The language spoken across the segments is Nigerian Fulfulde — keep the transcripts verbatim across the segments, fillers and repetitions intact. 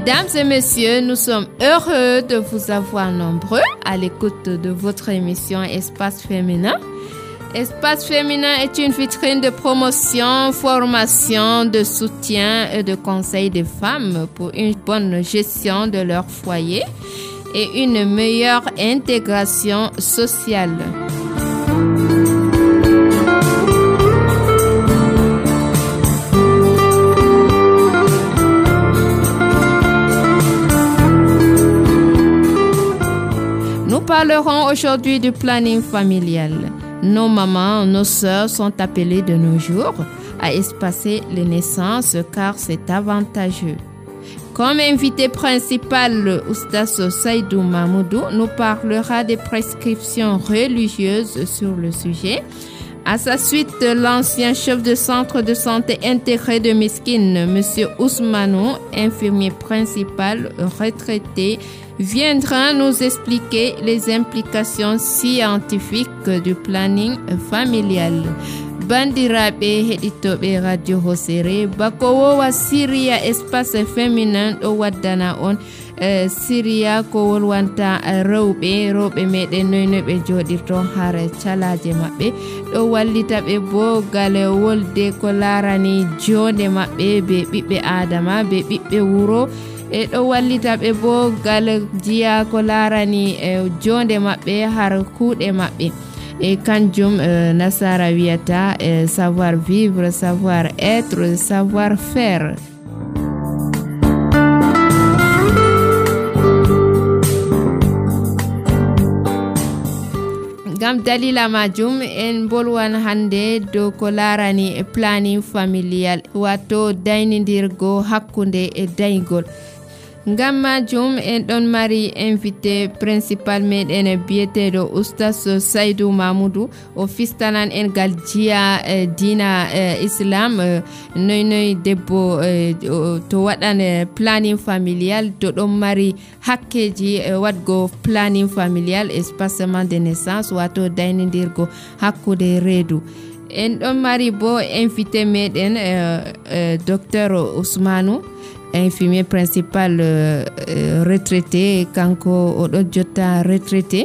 Mesdames et messieurs, nous sommes heureux de vous avoir nombreux à l'écoute de votre émission Espace Féminin. Espace Féminin est une vitrine de promotion, formation, de soutien et de conseil des femmes pour une bonne gestion de leur foyer et une meilleure intégration sociale. Nous parlerons aujourd'hui du planning familial. Nos mamans, nos sœurs sont appelées de nos jours à espacer les naissances car c'est avantageux. Comme invité principal, le Oustaz Saïdou Mahmoudou nous parlera des prescriptions religieuses sur le sujet. À sa suite, l'ancien chef de centre de santé intégré de Meskine, M. Ousmanou, infirmier principal retraité, viendra nous expliquer les implications scientifiques du planning familial. Bandiraɓe heɗitoɓe radio Hosere bako wowa Syria espace féminin ɗo waddana on uh, Syria ko wolwanta rewɓe rewɓe meɗen noyno ɓe joɗirto har calaje maɓɓe ɗo wallita ɓe bo gale wolde ko larani jonde maɓɓe be ɓiɓɓe adama be ɓiɓɓe wuro e ɗo wallita ɓe bo gal jiya ko larani e jonde maɓɓe har kuuɗe maɓɓe e kanjum e, nasara wiyata e, savoir vivre, savoir être, savoir faire. Gam dalila majum en bolwan hande do ko larani planning familial wato daynidirgo hakkunde e daygol. Ngam majum en don mari invité principal meɗen biyeteɗo Oustaz Saïdou Mahmoudou o fistanan en gal jiya eh, dina eh, islam eh, noy noy debbo eh, to waɗan eh, planning familial to ɗon mari hakkeji eh, waɗgo planning familial espacement de naissance wato daynidirgo hakkude reedu. En ɗon mari bo invité meɗen eh, eh, docteur Ousmanou, infirmier principal euh, euh, retraité kanko o ɗo jotta retraité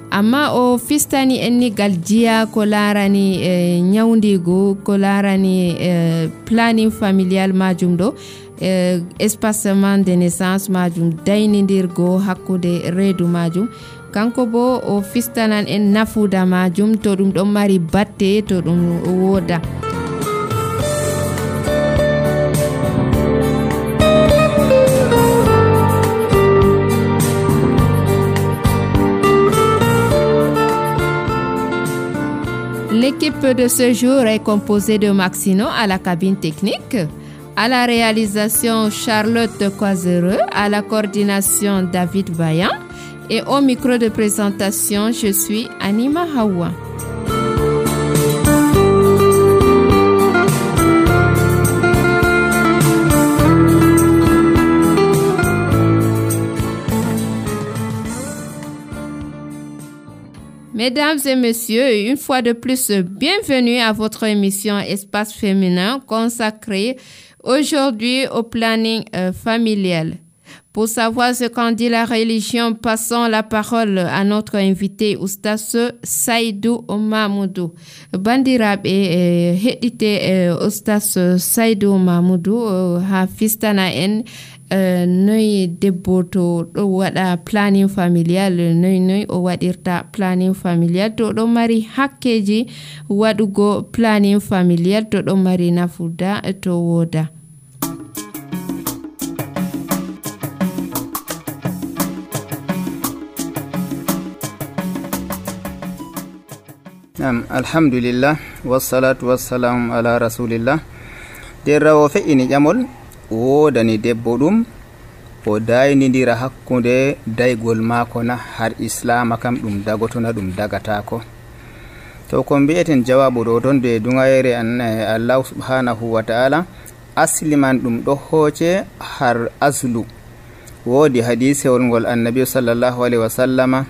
amma o fistani enni gal jiya ko larani eh, nyawdigu ko larani eh, planning familial majum ɗo eh, espacement de naissance majum daynidirgo hakkude reedu majum kanko bo o fistanan en nafuda majum to ɗum ɗon mari batte to ɗum woda. L'équipe de ce jour est composée de Maxino à la cabine technique, à la réalisation Charlotte Coisereux, à la coordination David Vaillant et au micro de présentation, je suis Anima Hawa. Mesdames et messieurs, une fois de plus, bienvenue à votre émission Espace Féminin consacrée aujourd'hui au planning euh, familial. Pour savoir ce qu'en dit la religion, passons la parole à notre invité Oustaz Saïdou Mahmoudou. Bandiraɓe e heɗite Oustaz Saïdou Mahmoudou ha fistana en Uh, noy debbo to ɗo waɗa planning familial noy noy o waɗirta planning familial to ɗo mari hakkeji waɗugo planning familial to ɗo mari nafuda to woda. um, alhamdulillah wassalatu wassalamu ala rasulillah. Derrawo fe'ini ƴamol wodani debbo ɗum o daynidira hakkunde daygol maako na har islama kam ɗum dagotona ɗum dagatako. to ko mbi'eten jawabu ɗo ton de dungayere an Allah subhanahu wa ta'ala asli man ɗum ɗo hooce har aslu. wodi hadisewol ngol annabi sallallahu alaihi wasallama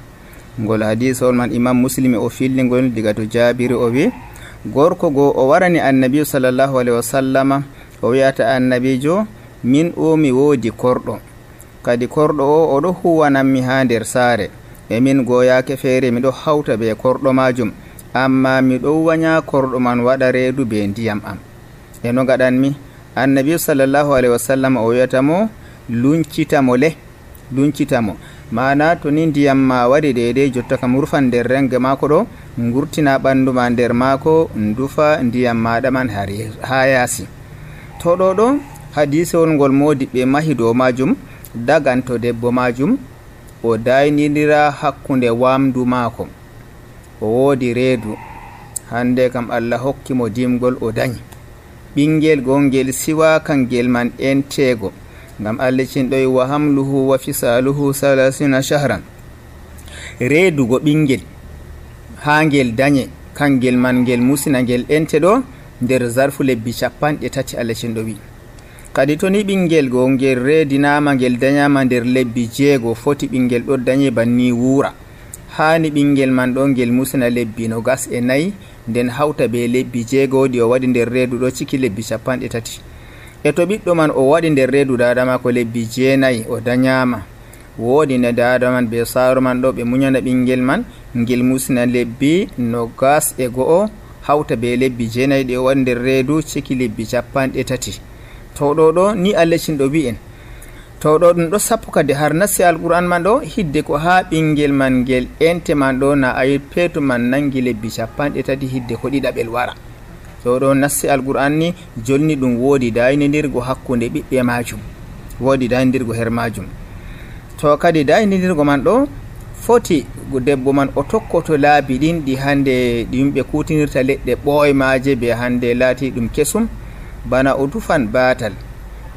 ngol hadisewol man imam muslim o fillingol diga to jabiri o wi gorko go o warani annabi sallallahu alaihi wasallama o wi'ata annabijo min o mi wodi korɗo kadi korɗo o oɗo huwananmi ha nder saare e min goyake feere miɗo hawta be korɗo majum, amma miɗo wanya korɗo man waɗa reedu be ndiyam am. e no gaɗanmi? annabi sallallahu alaihi wasallam o wiyatamo luncitamo le luncitamo mana to ni ndiyam ma waɗi deidei jotta kam rufan nder renge mako ɗo, ngurtina ɓandu ma nder mako, ndufa ndiyam maɗa man ha yaasi. to ɗo ɗo hadisewol ngol modiɓɓe mahi dow majum daganto debbo majum o daynidira hakkunde wamdu mako, o woodi reedu, hande kam Allah hokkimo dimgol o dañi ɓingel gongel siwa kangel man entego, ngam Allah cinɗoyi wa hamluhu wa fisaluhu salasina shahran. reedugo ɓingel ha ngel dañe kangel man ngel musina ngel ente ɗo nder zarfu lebbi capanɗe tati Allah cinɗo wi. kadi to ni ɓingel go ngel reedinama ngel dañama nder lebbi jeego, foti ɓingel ɗo dañe banni wuura, hani ɓingel man ɗo ngel musina lebbi no gas e nayi nden hawta be lebbi jeegoɗi o waɗi nder reedu ɗo ciki lebbi capanɗe tati. e to ɓiɗɗo man o waɗi nder reedu dadama ko lebbi jeenayi o dañama, woodi ne dada man be saaro man ɗo ɓe muñana ɓingel man ngel musina lebbi no gas e go'o hawta be lebbi jeenayi ɗi o waɗi nder reedu ciki lebbi capanɗe tati. to ɗo ɗo ni Allah cinɗo wi en to ɗo ɗum ɗo sappo kadi har nasti alquran man ɗo hidde ko ha ɓingel man ngel ente man ɗo na ayi peetu man nangi lebbi capanɗe tati hidde ko ɗiɗaɓel wara. to ɗo nasti alquran ni jolni ɗum woodi daynidirgo hakkunde ɓiɓɓe majum, woodi daynidirgo her majum. to kadi daynidirgo man ɗo foti debbo man o tokkoto laabi ɗin ɗi hande ɗi yimɓe kutinirta leɗɗe ɓoymaje be hande laati ɗum kesum, bana o tufan batal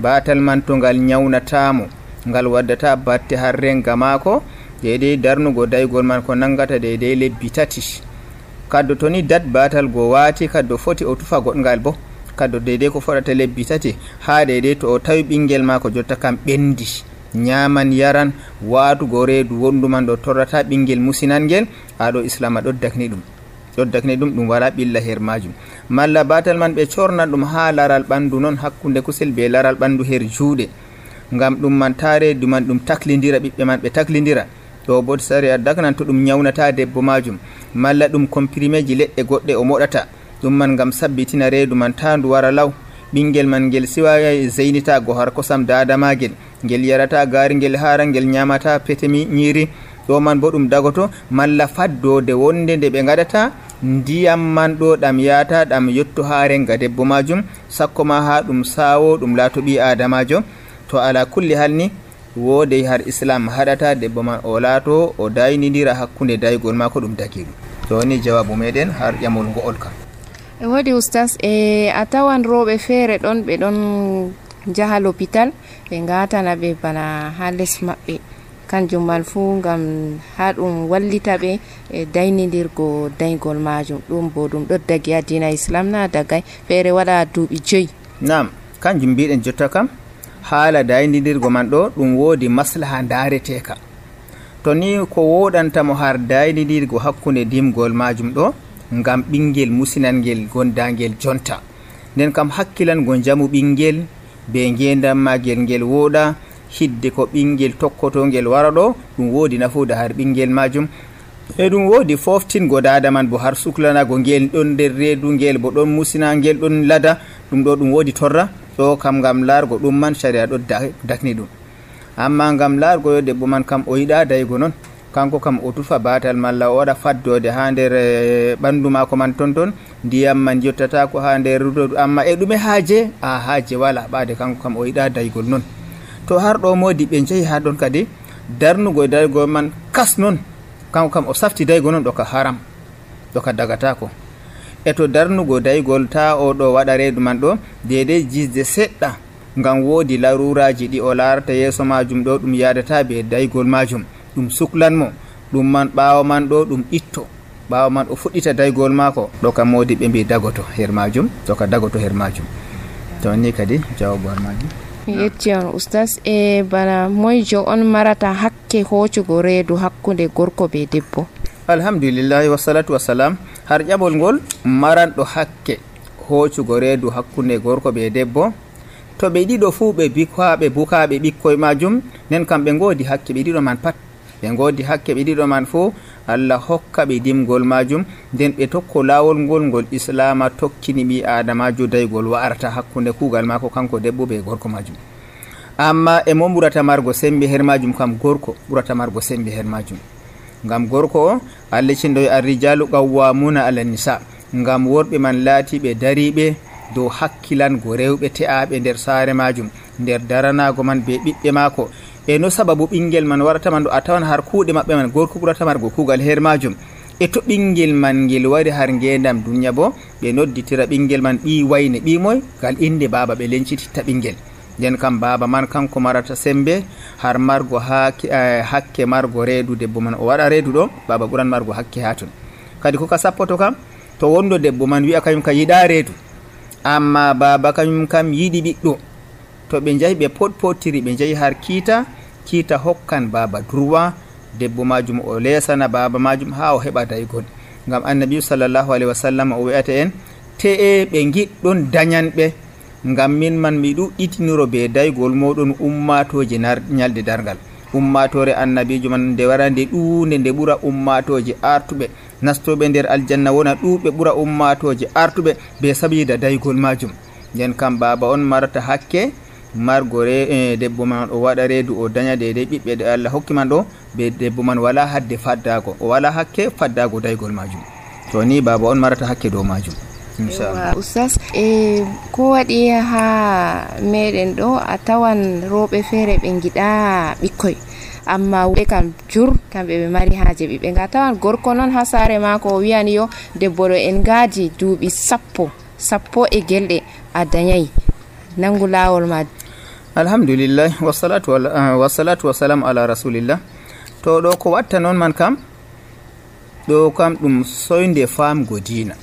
batal man to ngal nyawnatamo ngal waddata batte har renga mako deidei darnugo daygol man ko nangata deidei lebbi tati. kaddo to ni dat batal go waati kaddo foti o tufa goɗngal bo kaddo deidei ko foɗata lebbi tati, ha deidei to o tawi ɓingel mako jotta kam ɓendi nyaman yaran waatugo reedu wonduman ɗo torrata ɓingel musinangel, aɗo islama ɗoddakni ɗum ɗoddakni ɗum ɗum wala ɓilla her majum. malla batal man ɓe cornan ɗum ha laral ɓandu noon hakkunde kusel be laral ɓandu her juuɗe, ngam ɗum man ta reedu man ɗum taklidira ɓiɓɓe man ɓe taklidira. ɗo bo sari a daknan to ɗum nyawnata debbo majum, malla ɗum compriméji leɗɗe goɗɗe o moɗata ɗum man ngam sabbitina reedu man ta ndu wara law. ɓingel man ngel siwa zeynita go har kosam dadamagel, ngel yarata gaari ngel hara ngel nyamata petemi ñiri, ɗo man bo ɗum dagoto. malla faddode wonde nde ɓe gaɗata ndiyam man ɗo ɗam yata ɗam yotto ha renga debbo majum, sakko ma ha ɗum sawo ɗum laato ɓi adamajo. to ala kulli halni woodey har islam haɗata debbo man o laato o daynidira hakkunde daygol mako ɗum dagi ɗum. to ni jawabu meɗen har ƴamol ngo'ol kam. e waɗi oustas e a tawan rewɓe feere ɗon ɓe ɗon jaha l'hôpital ɓe gatana ɓe bana ha les maɓɓe, kanjum man fuu ngam ha ɗum wallita ɓe e daynidirgo daygol majum, ɗum bo ɗum ɗo dagi ha dina islam na dagay feere waɗa duuɓi joyi. nam kanjum mbiɗen jotta kam haala daynidirgo man ɗo ɗum woodi maslaha ndareteka. to ni ko woɗantamo har daynidirgo hakkunde dimgol majum ɗo ngam ɓingel musinangel gondangel jonta, nden kam hakkilango jamu ɓingel be ngendam magel ngel woɗa, hidde ko ɓingel tokkoto ngel wara ɗo ɗum woodi nafuda har ɓingel majum. e ɗum woodi foftingo dada man bo har suklanago ngel ɗon nder reedu ngel bo ɗon musina ngel ɗon lada, ɗum ɗo ɗum woodi torra. ɗo kam ngam largo ɗum man sharia ɗo dakni ɗum, amma ngam largo yo debbo man kam o yiɗa daygo noon, kanko kam o tufa batal malla o waɗa faddode ha nder ɓandu mako man ton ton, ndiyam man jottata ko ha nder rudo, amma e ɗume haaje a haaje wala ɓaade, kanko kam o yiɗa daygol noon. to har ɗo modi ɓe jeehi ha ɗon kadi darnugo daygol man kas noon, kanko kam o safti daygo noon ɗo ka haram, ɗo ka dagatako. e to darnugo daygol ta o ɗo waɗa reedu man ɗo deidei jisde seɗɗa, ngam woodi laruraji ɗi o larata yeeso majum ɗo ɗum yadata be daygol majum, ɗum suklanmo ɗum man ɓawo man ɗo ɗum itto, ɓawo man o fuɗɗita daygol mako ɗo kam modi ɓe mbi dagoto her majum, ɗo ka dagoto her majum. to ni kadi jawabu har majum. mi yetti on oustas. e bana moyjo on marata hakke hoccugo reedu hakkunde gorko be debbo? alhamdulillahi wassalatu wassalam. har ƴaɓol ngol maranɗo hakke hoccugo reedu hakkunde gorko be debbo to ɓe ɗiɗo fuu ɓe bikwaɓe bukaɓe ɓikkoye majum nden kam ɓe godi hakke ɓe ɗiɗo man pat ɓe godi hakke ɓe ɗiɗo man fuu Allah hokka ɓe dimgol majum nden ɓe tokko lawol ngol ngol islama tokkini ɓi adamajo daygol wa'arta hakkunde kugal mako kanko debbo be gorko majum. Amma e mo ɓurata margo sembe her majum kam gorko ɓurata margo sembe her majum, ngam gorko o Allah cindoy arrijalu qawwamuna ala nisa, ngam worɓe man laatiɓe dariɓe dow hakkilango rewɓe te'aɓe nder saare majum nder daranago man be ɓiɓɓe mako. E no sababu ɓingel man warata man ɗo a tawan har kuuɗe maɓɓe man gorko ɓurata margo kuugal her majum. E to ɓingel man ngel wari har ngendam duniya bo ɓe nodditira ɓingel man ɓi wayne ɓi moy gal inde baba ɓe lencititta ɓingel, nden kam baba man kanko marata sembe har margo hakke, eh, hakke margo reedu debbo man o waɗa reedu ɗo baba ɓuran margo hakke ha ton. Kadi koka sappoto kam to wondo debbo man wi'a kañum ka yiɗa reedu amma baba kañum kam yiɗi ɓiɗɗo, to ɓe jahi ɓe potpotiri ɓe jahi har kiita kiita hokkan baba droit debbo majum o lesana baba majum ha o heɓa daygol, ngam annabi sallallahu alaihi wasallam o wi'ata en te'e ɓe giɗɗon dañanɓe ngam min man mi ɗuɗɗitiniro be daygol moɗon ummatoje ñalde dargal. Ummatore annabijo man nde wara nde ɗuunde nde ɓura ummatoje artuɓe nastoɓe nder aljanna wona ɗuɓe ɓura ummatoje artuɓe be sabida daygol majum. nden kam baba on marata hakke margo re e debbo man o waɗa reedu o daña dede ɓiɓɓe de Allah hokki man ɗo be debbo man wala hadde faddago o wala hakke faddago daygol majum, to ni baba on marata hakke dow majum. Inchallah oustaz e ko waɗi ha meɗen ɗo a tawan rewɓe feere ɓe giɗa ɓikkoy amma ɓe kam jur kamɓe ɓe mari haaje ɓiɓɓe nga tawan gorko noon ha saare mako o wiyani yo debbo ɗo en gaadi duuɓi sappo sappo e gelɗe a dañayi nangu lawol ma. Alhamdulillah wassalatu wassalatu wassalamu ala rasulillah. To ɗo ko watta noon man kam ɗo kam ɗum soyde famgo diina,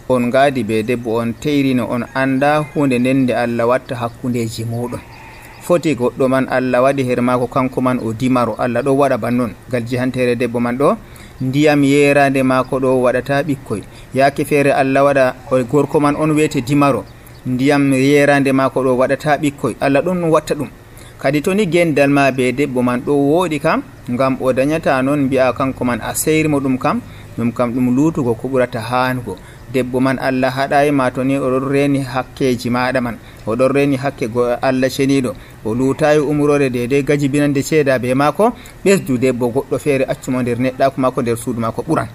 on gaadi be debbo on teyrino on anda hunde nden nde Allah watta hakkundeji muɗum foti goɗɗo man Allah waɗi her mako kanko man o dimaro Allah ɗo waɗa bannon gal jihantere debbo man ɗo ndiyam yerande mako ɗo waɗata ɓikkoy yaake feere Allah waɗa o gorko man on wiyete dimaro ndiyam yerande mako ɗo waɗata ɓikkoy Allah ɗon watta ɗum. Kadi to ni gendal ma be debbo man ɗo woɗi kam ngam o dañata noon mbi'a kanko man a seyrimo ɗum kam ɗum kam ɗum lutugo ko ɓurata hanugo. Debbo man Allah haɗayi ma to ni oɗon reni hakkeji maɗa man oɗon reni hakke go Allah ceniɗo o lutayi umrore dede gaji binande ceeda be mako ɓesdu debbo goɗɗo feere accumo nder neɗɗako mako nder suudu mako ɓuran.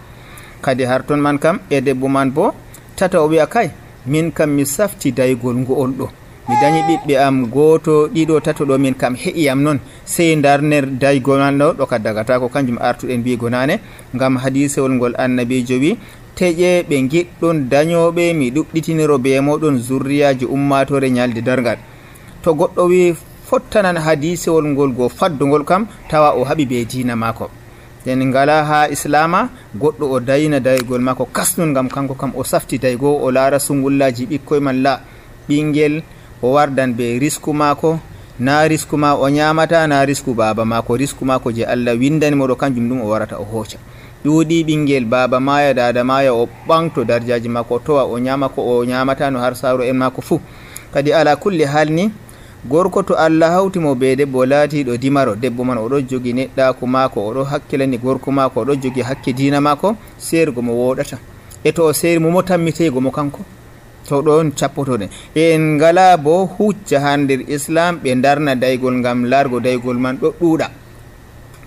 Kadi har ton man kam e debbo man bo tata o wi'a kay min kam mi safti daygol ngo'ol ɗo mi dañi ɓiɓɓe am goto ɗiɗo tato ɗo min kam heƴiyam noon sey darner daygol man ɗo ɗo ka dagata ko kanjum artuɗen mbigo nane ngam hadisewol ngol annabijo wi teƴe ɓe giɗɗon dañoɓe mi ɗuɗɗitiniro be moɗon zurriyaji ummatore ñalde dargal. To goɗɗo wi fottanan hadisewol ngol go faddugol kam tawa o haɓi be diina mako, nden ngala ha islama goɗɗo o dayna daygol mako kasnun ngam kanko kam o safti daygo o laara sungullaji ɓikkoye man la ɓingel o wardan be risku mako na risku ma o ñamata na risku baba mako risku mako je Allah windani moɗo kanjum ɗum o warata o hooca. ɗuuɗi ɓingel baba maya dada maya o ɓanto darjaji mako o towa o ñama ko o ñamatano har saaro en mako fuu. Kadi ala kulli hal ni gorko to Allah hawtimo be debbo laatiɗo dimaro debbo man oɗo jogi neɗɗako mako oɗo hakkilani gorko mako oɗo jogi hakke diina mako sergo mo woɗata e to o seri mo mo tammitego mo kanko to ɗon cappotoɗen en ngala bo hucca ha nder islam ɓe darna daygol ngam largo daygol man ɗo ɗuuɗa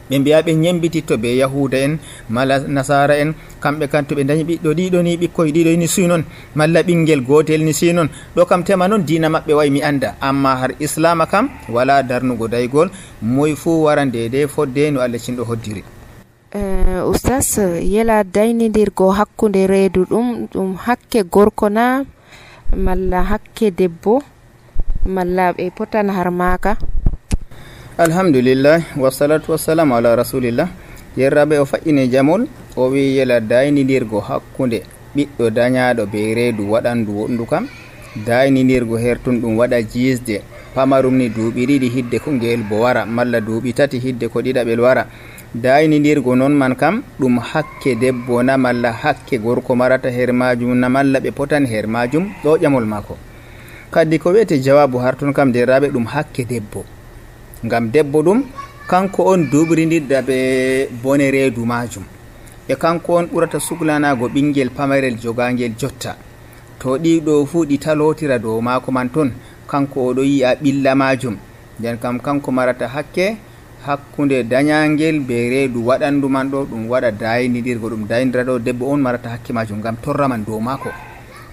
ɓe mbiya ɓe ñembititto be yahuda en mala nasara en kamɓe kam to ɓe dañi ɓiɗɗo ɗiɗo ni ɓikkoye ɗiɗo ni suy noon malla ɓinguel gotel ni si noon ɗo kam tema noon diina maɓɓe way mi anda amma har islama kam wala darnugo daygol moye fuu wara ndede fodde no Allah cinɗo hoddiri. Uh, oustas yela daynidirgo hakkude reedu ɗum ɗum hakke gorko na malla hakke debbo malla ɓe potan har maka? Alhamdulillah wassalatu wassalamu ala rasulillah. Yerraɓe o faƴƴine jamol o wi yela daynidirgo hakkude ɓiɗɗo dañaɗo be reedu waɗandu wondu kam daynidirgo hertun ɗum waɗa jisde pamarum ni duuɓi ɗiɗi hidde ko ngel bo wara malla duuɓi tati hidde ko ɗiɗaɓel wara daynidirgo noon man kam ɗum hakke debbo na malla hakke gorko marata her majum na malla ɓe potan her majum ɗo ƴamol mako. kadi ko wiyete jawabu har ton kam derraɓe ɗum hakke debbo, ngam debbo ɗum kanko on duɓridirɗa ɓe bone reedu majum, e kanko on ɓurata suglanago ɓinguel pamarel jogangel jotta, to ɗiɗo fuu ɗi talotira dow mako man ton, kanko oɗo yi'a ɓilla majum, nden kam kanko marata hakke hakkunde dañangel be reedu waɗandu man ɗo ɗum waɗa daynidirgo ɗum daynidira ɗo debbo on marata hakke majum ngam torra man dow mako.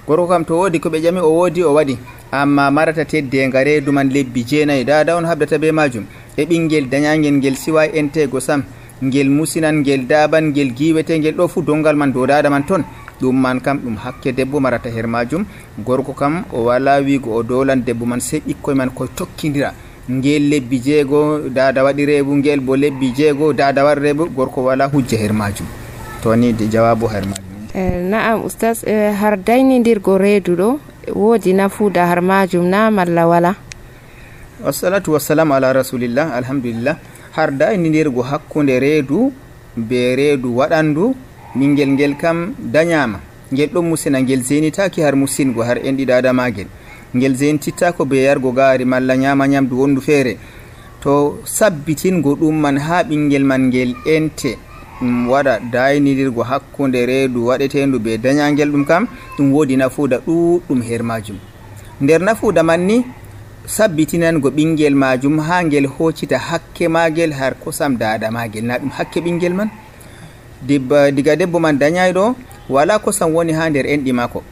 gorko kam to wodi ko ɓe ƴami o wodi o waɗi, amma marata teddenga reedu man lebbi jeenayi dada on habdata be majum, e ɓinguel dañangel ngel siwa entego sam, ngel musinan ngel daban ngel giwete ngel ɗo fu dongal man dow dada man ton, ɗum man kam ɗum hakke debbo marata her majum. Gorko kam o wala wigo o dolan debbo man sey ɓikkoy man koye tokkidira, ngel lebbi jeego dada waɗi reebu, ngel bo lebbi jeego dada waɗi reebu, gorko wala hujja her majum. to ni de jawabu her majum. eh, na'am ustaz, eh, har daynidirgo reedu ɗo wodi nafuda har majum na malla wala? wassalatu wassalamu ala rasulillah. alhamdulillah, har daynidirgo hakkunde reedu be reedu waɗandu ɓingel ngel kam dañama, ngel ɗon musina, ngel zenitaki har musingo har enɗi dada magel, ngel zentittako be yargo gaari malla ñama ñamdu wondu feere, to sabbitingo ɗum man ha ɓingel man ngel ente ɗum waɗa daynidirgo hakkunde reedu waɗetendu be dañangel, ɗum kam ɗum wodi nafuuda ɗuɗɗum her majum. nder nafuuda man ni sabbitinango ɓingel majum ha ngel hoccita hakke magel har kosam dada magel, na ɗum hakke ɓingel man. diga debbo man dañayɗo wala kosam woni ha nder enɗi mako,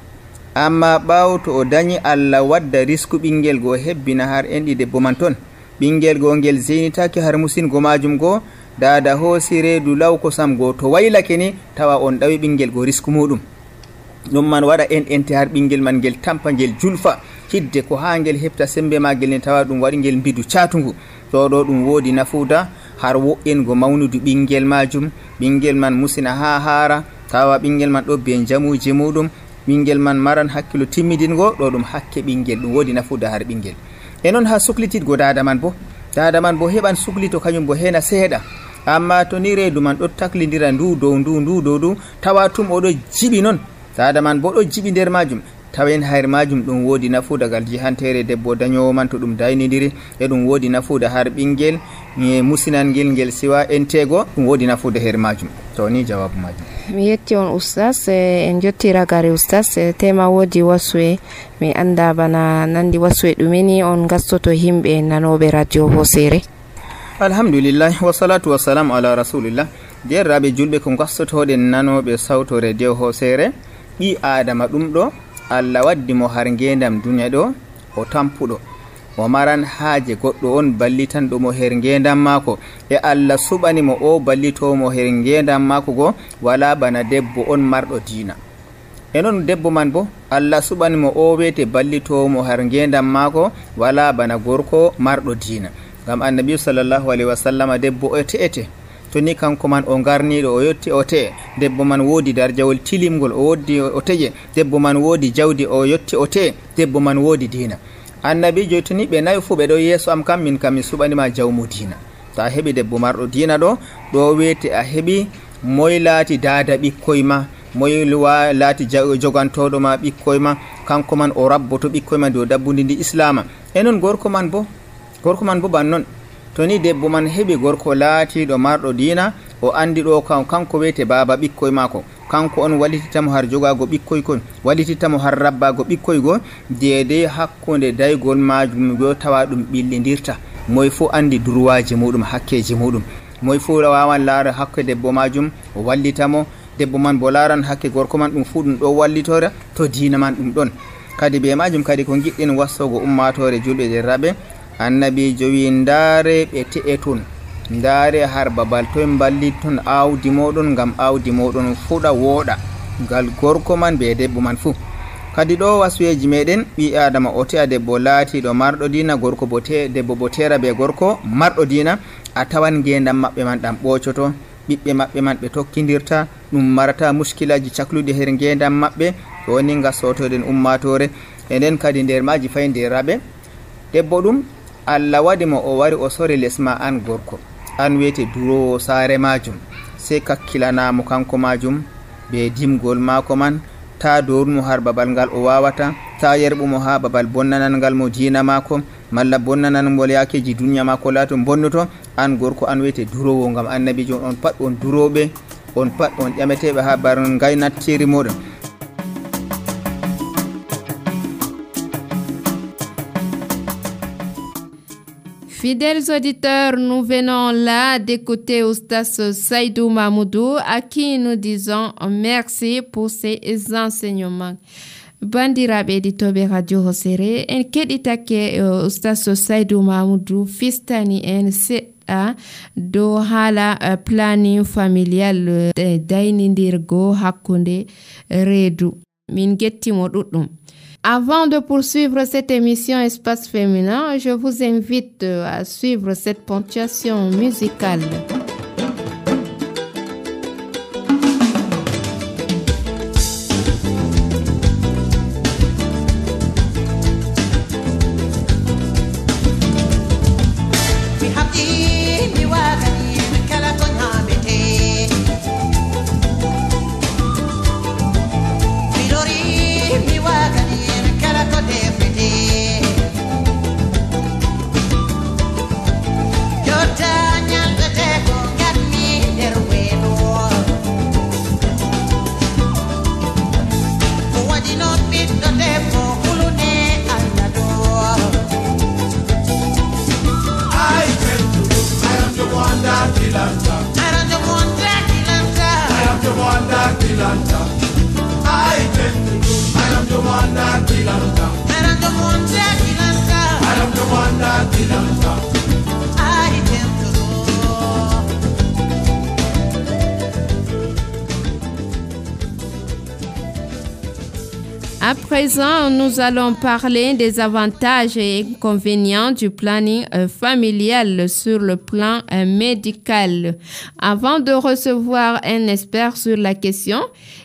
amma ɓawo to o dañi Allah wadda risku ɓingel go hebbina har enɗi debbo man ton, ɓingel go ngel zenitaki har musingo majum go, dada hoosi reedu law kosam go to waylake ni tawa on ɗawi ɓingel go risku muɗum, ɗum man waɗa en ente har ɓingel man ngel tampa ngel julfa, hidde ko ha ngel hefta sembe magel ni tawa ɗum waɗi ngel mbidu catugu. ɗo ɗo ɗum wodi nafuda har wo'ingo mawnudu ɓingel majum, ɓingel man musina ha haara, tawa ɓingel man ɗo be jamuji muɗum, ɓingel man maran hakkilo timmidingo, ɗo ɗum hakke ɓingel, ɗum wodi nafuda har ɓingel. e noon ha suklititgo dada man bo, dada man bo heɓan suklito kañum bo hena seeɗa, amma to ni reedu man ɗo taklidira ndu dow ndu ndu dow ndu, tawa tum oɗo jiɓi noon, dada man bo ɗo jiɓi nder majum, tawen hayr majum ɗum wodi nafuda gal jihantere debbo dañowo man to ɗum daynidiri, e ɗum wodi nafuda har ɓingel e musinangel ngel siwa entego, ɗum wodi nafuda her majum. to ni jawabu majum. mi yetti on ustaz, en jotti ragare ustaz, tema wodi wasue mi anda bana nandi wasue ɗumeni on gastoto himɓe nanoɓe radio hosere. alhamdulillah, wassalatu wassalamu ala rasulillah. derraɓe julɓe ko gastotoɗen nanoɓe sawto radio hosere, ɓi adama ɗum ɗo Allah waddi mo har ngendam duniya ɗo o tampuɗo, o maran haaje goɗɗo on ballitanɗo mo her ngendam mako, e Allah suɓani mo o ballitomo her ngendam mako go, wala bana debbo on marɗo diina. e noon debbo man bo Allah suɓani mo o wete ballitomo har ngendam mako, wala bana gorko marɗo diina, ngam annabi sallallahu alaihi wasallam debbo ete ete, to ni kanko man o garniɗo o yetti o te'e, debbo man wodi darjawol tilimgol o woddi o teƴe, debbo man wodi jawdi o yetti o te'e, debbo man wodi diina. annabi joyi to ni ɓe nayi fuu ɓe ɗo yeeso am kam, min kam mi suɓanima jawmu diina. to a heɓi debbo marɗo diina ɗo ɗo wete a heɓi moye laati dada ɓikkoy ma, moye laati jogantoɗo ma ɓikkoy ma, kanko man o rabboto ɓikkoy ma dow dabbudi ndi islama. e noon gorko man bo gorko man bo ban noon, to ni debbo man heɓi gorko laatiɗo marɗo diina, o andi ɗo kan kanko wiyete baba ɓikkoy mako, kanko on wallitittamo har jogago ɓikkoy kon, wallitittamo har rabbago ɓikkoy go, deedey hakkunde daygol majum go tawa ɗum ɓillidirta, moye fo andi droitji muɗum, hakkeji muɗum, moye fo wawan laara hakke debbo majum o wallitamo, debbo man bo laran hakke gorko man, ɗum fu ɗum ɗo wallitora to diina man ɗum ɗon. kadi be majum kadi ko giɗɗin wassogo ummatore julɓe derraɓe, annabijo wi ndaare ɓe te'e ton, ndaare har babal toye ballit ton awdi moɗon, gam awdi moɗon fuɗa wooɗa, ngal gorko man be debbo man fuu. kadi ɗo wasuyeji meɗen, ɓi adama o te'a debbo laatiɗo marɗo diina, gorko bo te debbo bo tera be gorko marɗo diina, a tawan ngendam maɓɓe man ɗam ɓocoto, ɓiɓɓe maɓɓe man ɓe tokkidirta, ɗum marata muskilaji cakluɗi her ngendam maɓɓe. ɗo ni gasotoɗen ummatore. e nden kadi nder maji fayi nderaɓe, debbo ɗum Allah waɗi mo o wari o sori lesma an gorko, an wiyete durowo saare majum, sei kakkilanamo kanko majum be dimgol mako man, ta dornu har babal ngal o wawata, ta yerbumo ha babal bonnanan ngal mo jina mako malla bonnanan ngol yakeji dunya mako lato bonnoto. An gorko an wiyete durowo, ngam annabijo on pat on durobe, on pat on ƴametebe ha bar gaynacceri moɗon. Fidèles auditeurs, nous venons là d'écouter Oustas Saïdou Mahmoudou, à qui nous disons merci pour ses enseignements. Bandiraɓe éditoɓe radio Hosere, en keɗitake Oustas Saïdou Mahmoudou fistani en seɗɗa dow haala planning familial daynidirgo hakkunde reedu. Min gettimo ɗuɗɗum. Avant de poursuivre cette émission Espace Féminin, je vous invite à suivre cette ponctuation musicale. À présent, nous allons parler des avantages et inconvénients du planning euh, familial sur le plan euh, médical. Avant de recevoir un expert sur la question,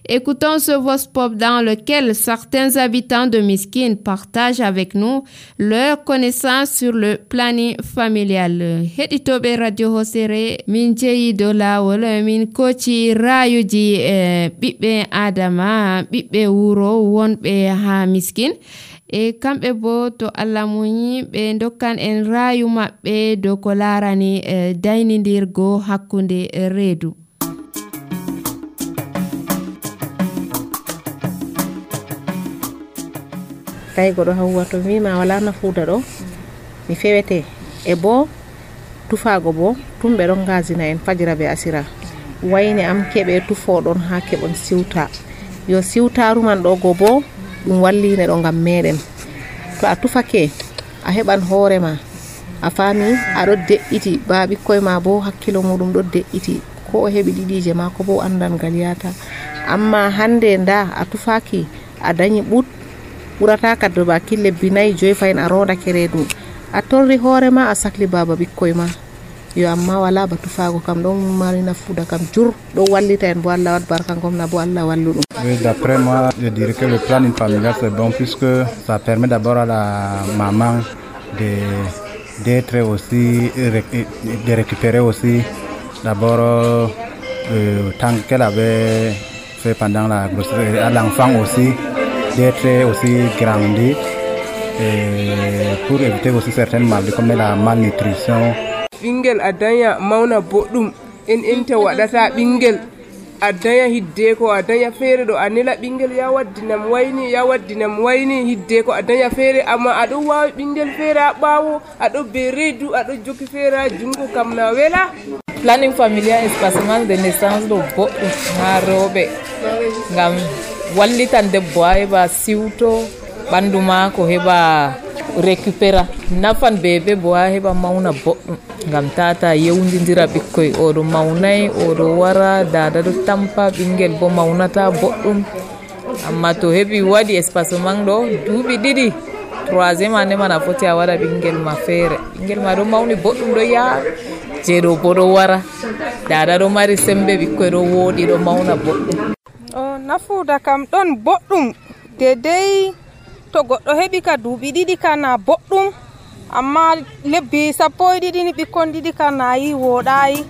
écoutons ce voice pop dans lequel certains habitants de Miskin partagent avec nous leurs connaissances sur le planning familial. Heditobe Radio Hosere, min jeyi do lawol min koci rayuji eh, ɓiɓɓe Adama, ɓiɓɓe wuro wonɓe ha Miskin. E kamɓe bo to Allah muñi ɓe dokkan en rayu maɓɓe dow ko larani eh, daynidirgo hakkunde reedu. Tay goɗo hawwa to wima wala nafuuda ɗo mi fewete e bo tufago bo tum ɓe ɗon gasina en fajira be asira wayne am keɓe tufoɗon ha keɓon siwta yo siwtaru man ɗo go bo ɗum walline ɗo ngam meɗen. To a tufake a heɓan hoorema a fami aɗo de'iti ba ɓikkoye ma bo hakkilo muɗum ɗo de'iti ko o heɓi ɗiɗije ma ko bo andan ngal yata. Amma hande nda a tufaki a dañi ɓut ɓurata kaddo ba kille binayi joyi fayin a rodake reedu a torri hoorema a sakli baba ɓikkoye ma yo amma wala ba tufago kam ɗon mari nafuuda kam jur ɗo wallita en bo Allah wat barka gomna bo Allah wallu ɗum. Oui, d'après moi, je dirais que le planning familial c'est bon puisque ça permet d'abord à la maman de d'être aussi de récupérer aussi d'abord euh, tant qu'elle avait fait pendant la grossesse, à l'enfant aussi d'être aussi grandi et pour éviter aussi certaines maladies comme la malnutrition. Bingel adanya mauna boɗɗum en enta waɗata bingel adanya hidde ko adanya fere do anela bingel ya waddinam wayni ya waddinam wayni hidde ko adanya fere amma ado wawi bingel fere a ɓawo ado be reedu ado jokki fere jungo kam na wela. Planning familial espacement de naissance do boɗɗum ha rewɓe ngam wallitan debbo ha heɓa siwto ɓandu ma ko heɓa récupéra nafan bebe bo ha heɓa mauna boɗɗum ngam tata yewdidira ɓikkoy oɗo mawnay oɗo wara dada ɗo tampa ɓingel bo mawnata boɗɗum. Amma to heɓi waɗi espacement ɗo duuɓi ɗiɗi troisiéme année man a foti a waɗa ɓingel ma feere ɓingel ma ɗo mawni boɗɗum ɗo yaha jeeɗo bo ɗo wara dada ɗo mari sembe ɓikkoy ɗo wooɗi ɗo mawna boɗɗum. O nafuuda kam ɗon boɗɗum dedei to goɗɗo heɓi ka duuɓi ɗiɗi ka na boɗɗum amma lebbi sappo e ɗiɗi ni ɓikkon ɗiɗi ka nayi wooɗayi.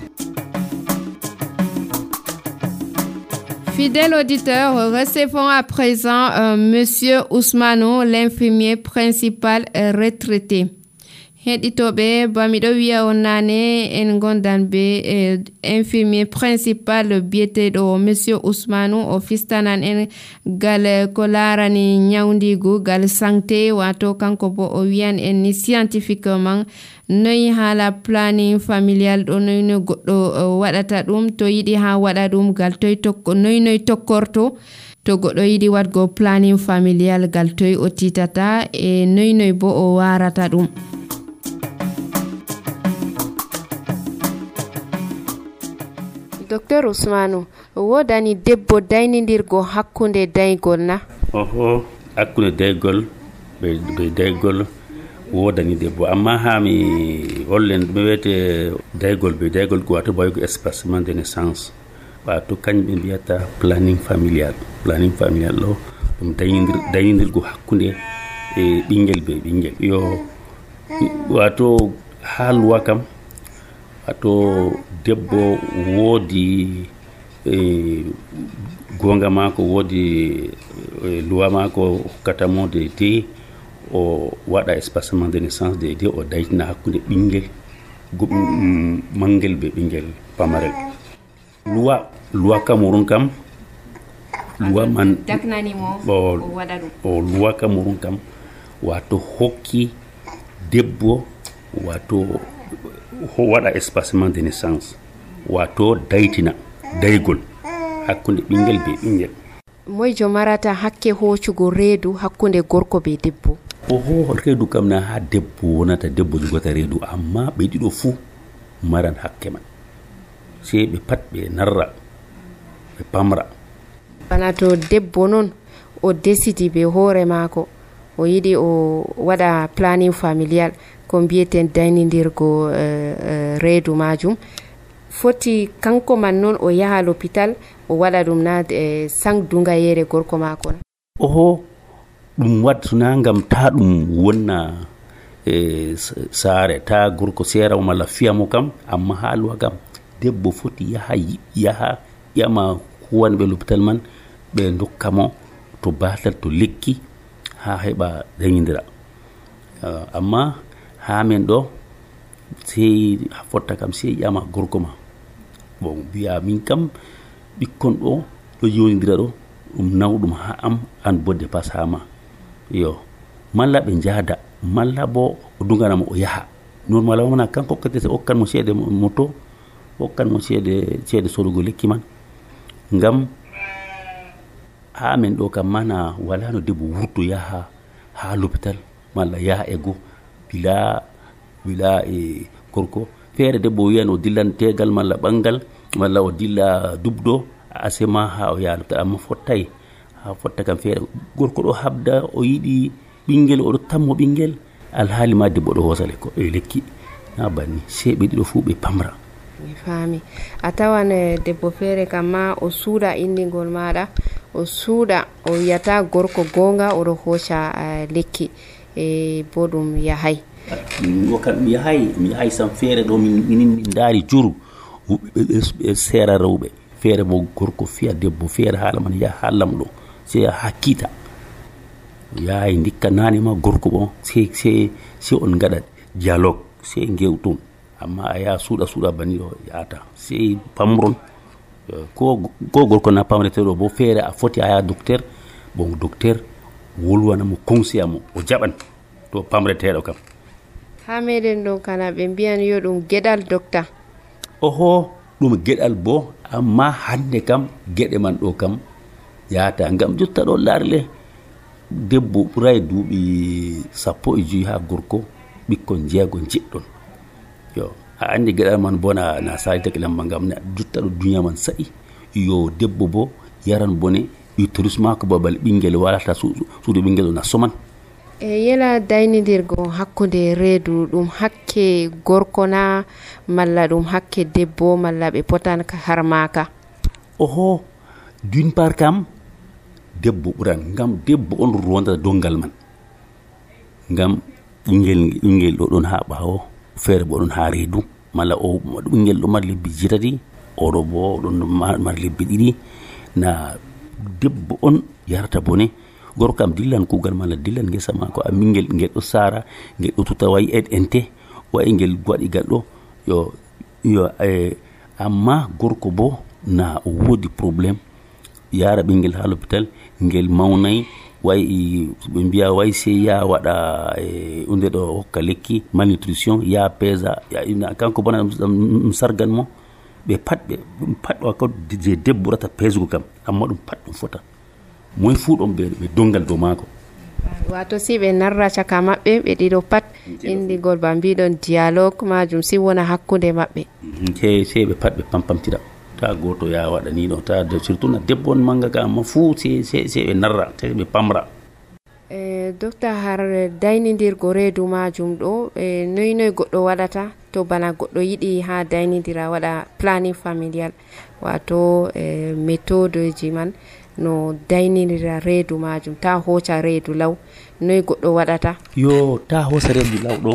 Fidèles auditeurs, recevons à présent euh, Monsieur Ousmano, l'infirmier principal euh, retraité. Heɗitoɓe bamiɗo wiya on nane en gondan be eh, infirmier principal biyeteɗo Monsieur Ousmano o fistanan en gal ko larani nyawdigu gal santé wato kanko bo o wiyan en ni scientifiquement noyi hala planning familial ɗo noyi no goɗɗo uh, waɗata ɗum to yiɗi ha waɗa ɗum gal toy tokko noyi noy tokkorto to goɗɗo yiɗi waɗgo planning familial gal toy o titata e noyi noy bo o warata ɗum. Docteur Ousmano, wodani debbo daynidirgo hakkunde daygol na? Oho, hakkunde daygol be be daygol wodani debbo amma ha mi hollen mi wete daygol be daygol ko wato boygo espacement de naissance wato kanɓe mbiyata planning familial planning familial ɗo ɗum daynidir daynidirgo hakkunde e ɓingel be ɓingel yo wato ha luwa kam wato debbo woodi e gonga mako woodi e luwa mako hokkatamo de de o waɗa espacement de naissance de de o daytina hakkunde ɓingel mangel be ɓingel pamarel luwa luwa Cameroun kam luwa man daknanimo o waɗa ɗum o luwa Cameroun kam wato hokki debbo wato ho waɗa espacement de naissance wato daytina daygol hakkunde ɓingel be ɓingel. Moyjo marata hakke hoccugo reedu hakkunde gorko be debbo? Oho, reedu kam na ha debbo wonata debbo jogota reedu amma ɓe ɗiɗo fuu maran hakke man sei ɓe pat ɓe narra ɓe pamra. Bana to debbo noon o décidi be hoore maako o yiɗi o waɗa planning familial ko mbiyeten daynidirgo uh, uh, reedu majum foti kanko man noon o yaha l'hôpital o waɗa ɗum na eh, sangdunga yere gorko maako na? Oho, ɗum wadduna ngam ta ɗum wonna e saare ta gorko seerawo malla fiyamo kam amma ha luwa kam debbo foti yaha yaha ƴama huwanɓe l'hôpital man ɓe dokkamo to batal to lekki ha heɓa dañidira uh, amma ha men ɗo sey fotta kam sey ƴama gorko ma bon biya min kam ɓikkon ɗo ɗo yonidira ɗo ɗum nawɗum ha am an bodde pas ha ma yo malla ɓe jaada malla bo o duganamo o yaha normal wona kanko hokkate hokkan mo ceede moto hokkan mo ceede ceede sodugo lekki man ngam ha men ɗo kam mana wala no debbo wurto yaha ha l'hôpital malla yaha e go bila bila e gorko feere debbo wiyan o dillan tegal malla ɓangal malla o dilla dubdo asema ha o yaha l'hôpital amma fottay ha fotta kam feere gorko ɗo habda o yiɗi ɓingel oɗo tammo ɓingel alhaali ma debbo ɗo hosa lekko e lekki na banni sei ɓe ɗiɗo fuu ɓe pamra. Mi faami a tawan debbo feere kam ma o suuɗa indigol maɗa o suuɗa o wiyata gorko gonga oɗo hoca uh, lekki e bo ɗum yahay o kam mi yahay mi yahay sam feere ɗo min min ndaari juru ɓe seera rewɓe feere bo gorko fiya debbo feere haala man yaha ha lamɗo sei ha kiita yahay ndikka nane ma gorko bon sei sei sei on gaɗa dialogue sei gewton amma a yaha suuɗa suuɗa banni ɗo yahata sei pamron ko ko gorko na pamreteɗo bo feere a foti a yaha docteur bon docteur wolwanamo conseil amo o jaɓan to pamreteɗo kam. Ha meɗen ɗo kana ɓe mbiyan yo ɗum geɗal docteur? Oho, ɗum geɗal bo amma hande kam geɗe man ɗo kam yahata ngam jotta ɗo larle debbo ɓuray duuɓi sappo e joyi ha gorko ɓikkon jeego jeɗɗon yo a andi geɗal man bo na na salitake lamba ngam jotta ɗo duniya man saɗi yo debbo bo yaran bone uterus mako babal ɓingel walata suudu ɓingel o na soman. E yela daynidirgo hakkunde reedu ɗum hakke gorko na malla ɗum hakke debbo malla ɓe potan harmaka? Oho, d'une part kam debbo ɓuran ngam debbo on rondata dongal man ngam ɓingel ɓingel ɗo ɗon ha ɓawo feere bo ɗon ha reedu malla o ɓingel ɗo mari lebbi jetati oɗo bo ɗon mari lebbi ɗiɗi na debbo on yarata bone gorko kam dillan kugal mala dillan ngesa mako a mingel ngel ɗo sara ngel ɗo tuta wayi ed ente wayi ngel waɗi gal ɗo yo yo eh, amma gorko bo na o wodi probléme yara ɓingel ha l'hôpital ngel mawnay wayi ɓe mbiya wayi sey ya waɗa e unde ɗo hokka lekki malnutrition ya pesa ya kanko bona ɗum sargan mo ɓe pat ɓe ɗum pat ɗo ko je debbo ɓurata pesgo kam amma ɗum pat ɗum fota moy fuu ɗon ɓe ɓe dongal dow maako wato si ɓe narra caka maɓɓe ɓe ɗiɗo pat indigol ba mbiɗon dialogue majum si wona hakkunde maɓɓe se se ɓe pat ɓe pampamtira ta goto ya waɗa ni ɗo ta de surtout na debbo on manga ka amma fuu se se se ɓe narra se ɓe pamra e docteur har daynidirgo reedu majum ɗo e noy noy goɗɗo waɗata to bana goɗɗo yiɗi ha daynidira waɗa planning familial wato e méthode ji man no daynidira reedu majum ta hoca reedu law noy goɗɗo waɗata yo ta hosa reedu law ɗo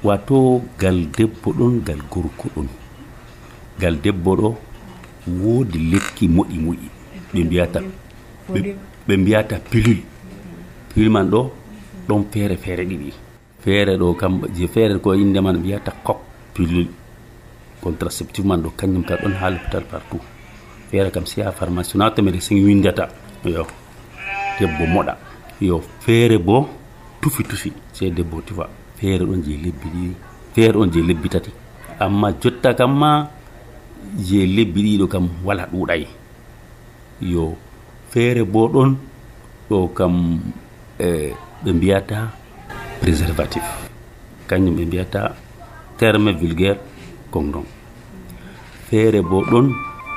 wato gal debbo ɗon gal gorko ɗon gal debbo ɗo woodi lekki moƴi moƴi ɓe mbiyata ɓe mbiyata pilule pilule man ɗo ɗon feere feere ɗiɗi feere ɗo kam je feere ko inde man mbiyata coq pilule contraceptive man ɗo kañum ka ɗon ha l'hôpital partout feere kam si ha pharmacie na to médecin windata yo debbo moɗa yo feere bo tufi tufi se debbo tufa feere ɗon je lebbi ɗiɗi feere ɗon je lebbi tati amma jotta kam ma je lebbi ɗiɗo kam wala ɗuuɗay yo feere bo ɗon ɗo kam e ɓe mbiyata préservatif kañum ɓe mbiyata terme vulgaire condom feere bo ɗon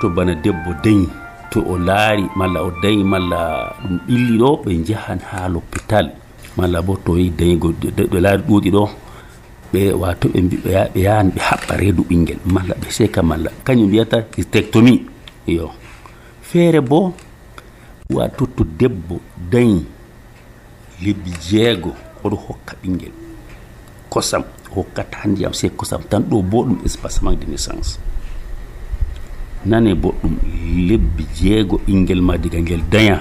to bana debbo dañi to o laari malla o dañi malla ɗum ɓilli ɗo ɓe njahan ha l'hôpital malla bo to yi dañigo ɓe laari ɗuuɗi ɗo ɓe wato ɓe ɓe yahan ɓe haɓɓa reedu ɓingel malla ɓe seka malla kañum mbiyata hystérectomie yo feere bo wato to debbo dañi lebbi jeego oɗo hokka ɓingel kosam hokkata ndiyam se kosam tan ɗo bo ɗum espacement de naissance nane boɗɗum lebbi jeego ɓingel ma diga ngel daña